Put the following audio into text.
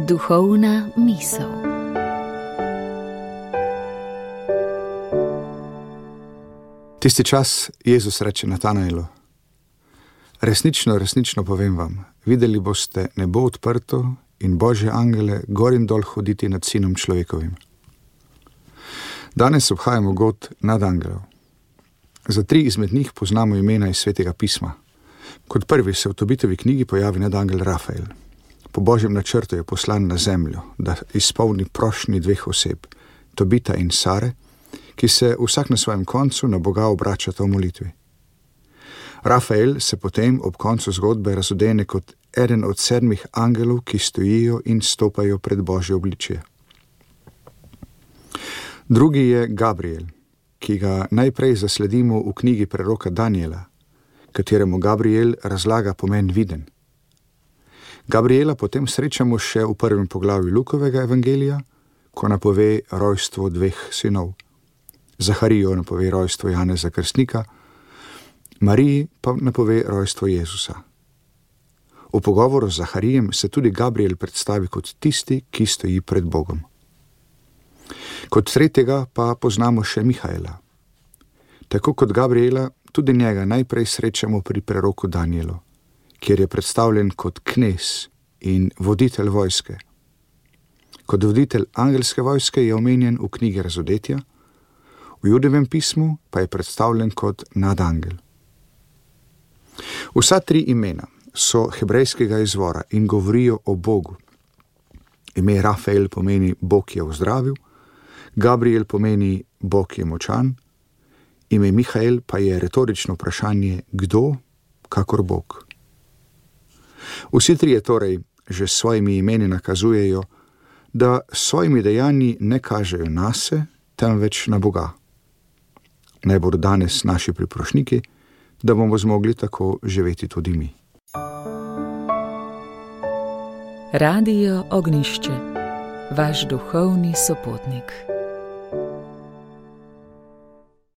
Duhovna misel. Tisti čas Jezus reče Natanailu: resnično, resnično povem vam, videli boste nebo odprto in Božje angele gor in dol hoditi nad Sinom človekovim. Danes obhajamo god nadangelov. Za 3 izmed njih poznamo imena iz Svetega pisma. Kot prvi se v Tobitovi knjigi pojavi nadangel Rafael. Po Božjem načrtu je poslan na zemljo, da izpolni prošnji 2 oseb, Tobita in Sare, ki se vsak na svojem koncu na Boga obračata v molitvi. Rafael se potem ob koncu zgodbe razodene kot eden od 7 angelov, ki stojijo in stopajo pred Božje obličje. Drugi je Gabriel, ki ga najprej zasledimo v knjigi preroka Danijela, kateremu Gabriel razlaga pomen viden. Gabriela potem srečamo še v 1. poglavju Lukovega evangelija, ko napove rojstvo 2 sinov. Zaharijo napove rojstvo Janeza Krstnika, Mariji pa napove rojstvo Jezusa. V pogovoru z Zaharijem se tudi Gabriel predstavi kot tisti, ki stoji pred Bogom. Kot tretjega pa poznamo še Mihaela. Tako kot Gabriela, tudi njega najprej srečamo pri preroku Danijelu, kjer je predstavljen kot knez in voditelj vojske. Kot voditelj angelske vojske je omenjen v knjigi Razodetja, v Judovem pismu pa je predstavljen kot nadangel. Vsa 3 imena so hebrejskega izvora in govorijo o Bogu. Ime Rafael pomeni Bog je ozdravil, Gabriel pomeni Bog je močan, ime Mihael pa je retorično vprašanje kdo, kakor Bog. Vsi 3 torej že s svojimi imeni nakazujejo, da s svojimi dejanji ne kažejo nase, temveč na Boga. Naj bodo danes naši priprošniki, da bomo zmogli tako živeti tudi mi. Radio Ognjišče, vaš duhovni sopotnik.